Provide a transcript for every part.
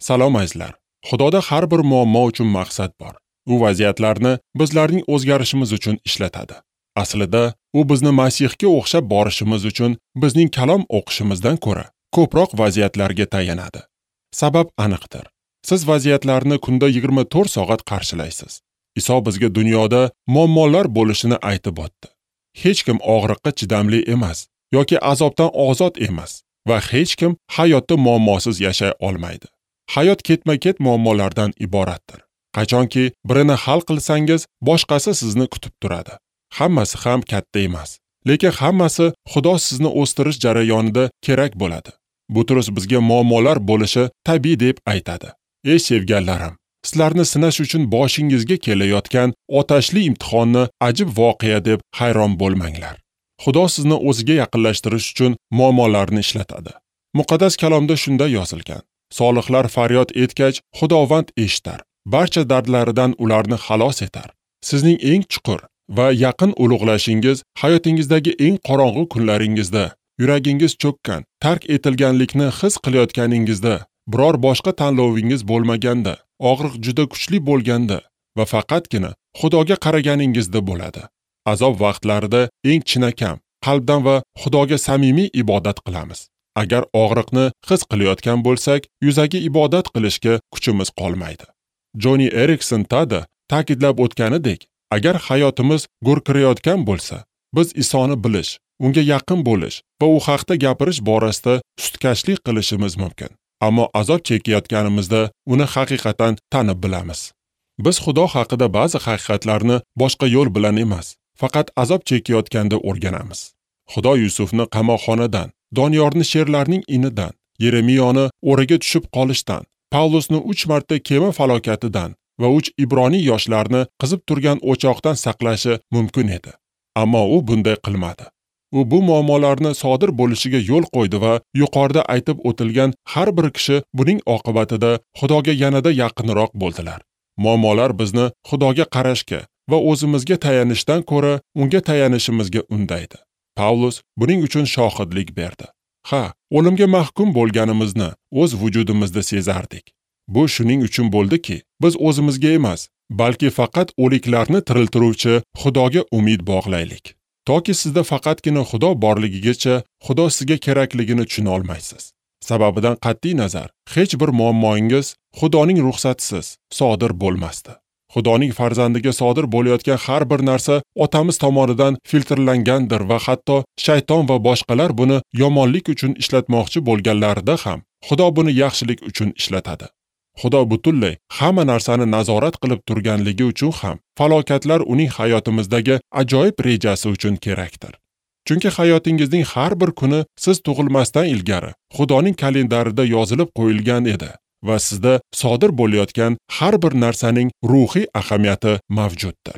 Salom azizlar. Xudoda har bir muammo uchun maqsad bor. U vaziyatlarni bizlarning o'zgarishimiz uchun ishlatadi. Aslida, u bizni Masihga o'xshab borishimiz uchun bizning kalom o'qishimizdan ko'ra ko'proq vaziyatlarga tayanadi. Sabab aniqdir. Siz vaziyatlarni kunda 24 soat qarshilaysiz. Iso bizga dunyoda muammolar bo'lishini aytib o'tdi. Hech kim og'riqqa chidamli emas yoki azobdan ozod emas va hech kim hayotda muammosiz yashay olmaydi. Hayot ketma-ket muammolardan iboratdir. Qachonki birini hal qilsangiz, boshqasi sizni kutib turadi. Hammasi ham katta emas, lekin hammasi Xudo sizni o'stirish jarayonida kerak bo'ladi. Butrus bizga muammolar bo'lishi tabiiy deb aytadi. Ey sevganlarim, sizlarni sinash uchun boshingizga kelayotgan otashli imtihonni ajib voqea deb hayron bo'lmanglar. Xudo sizni o'ziga yaqinlashtirish uchun muammolarni ishlatadi. Muqaddas kalomda shunday yozilgan: Solihlar faryod etgach, Xudovand eshitar. Barcha dardlaridan ularni xalos etar. Sizning eng chuqur va yaqin ulug'lashingiz hayotingizdagi eng qorong'u kunlaringizda, yuragingiz cho'kkan, tark etilganlikni his qilayotganingizda, biror boshqa tanlovingiz bo'lmaganda, og'riq juda kuchli bo'lganda va faqatgina Xudoga qaraganingizda bo'ladi. Azob vaqtlarida eng chinakam, qalbdan va Xudoga samimiy ibodat qilamiz. Agar og'riqni his qilayotgan bo'lsak, yuzaki ibodat qilishga kuchimiz qolmaydi. Joni Erikson Tada ta'kidlab o'tganidek, agar hayotimiz gurkirayotgan bo'lsa, biz Isoni bilish, unga yaqin bo'lish va u haqda gapirish borasida sutkashlik qilishimiz mumkin. Ammo azob chekayotganimizda uni haqiqatan tanib bilamiz. Biz Xudo haqida ba'zi haqiqatlarni boshqa yo'l bilan emas, faqat azob chekayotganda o'rganamiz. Xudo Yusufni qamoqxonadan, Doniyorni sherlarning inidan, Yeremiyoni o'raga tushib qolishdan, Pavlusni 3 marta kema falokatidan va 3 ibroniy yoshlarni qizib turgan o'choqdan saqlashi mumkin edi. Ammo u bunday qilmadi. U bu muammolarni sodir bo'lishiga yo'l qo'ydi va yuqorida aytib o'tilgan har bir kishi buning oqibatida Xudoga yanada yaqinroq bo'ldilar. Muammolar bizni Xudoga qarashga va o'zimizga tayanishdan ko'ra unga tayanishimizga undaydi. Pavlus buning uchun shohidlik berdi. Ha, o'limga mahkum bo'lganimizni o'z vujudimizda sezardik. Bu shuning uchun bo'ldiki, biz o'zimizga emas, balki faqat o'liklarni tiriltiruvchi Xudoga umid bog'laylik. Toki sizda faqatgina Xudo borligigacha Xudo sizga kerakligini tushuna olmaysiz. Sababidan qat'iy nazar, hech bir muammoingiz Xudoning ruxsatisiz sodir bo'lmasdi. Xudoning farzandiga sodir bo'layotgan har bir narsa otamiz tomonidan filtrlangandir va hatto shayton va boshqalar buni yomonlik uchun ishlatmoqchi bo'lganlarida ham Xudo buni yaxshilik uchun ishlatadi. Xudo butunlay hamma narsani nazorat qilib turganligi uchun ham falokatlar uning hayotimizdagi ajoyib rejasi uchun kerakdir. Chunki hayotingizning har bir kuni siz tug'ilmasdan ilgari Xudoning kalendarida yozilib qo'yilgan edi va sizda sodir bo'layotgan har bir narsaning ruhiy ahamiyati mavjuddir.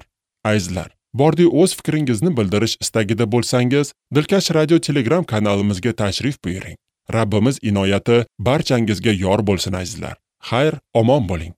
Azizlar, bordi o'z fikringizni bildirish istagida bo'lsangiz, Dilkash Radio Telegram kanalimizga tashrif buyuring. Rabbimiz inoyati barchangizga yor bo'lsin azizlar. Xayr, omon bo'ling.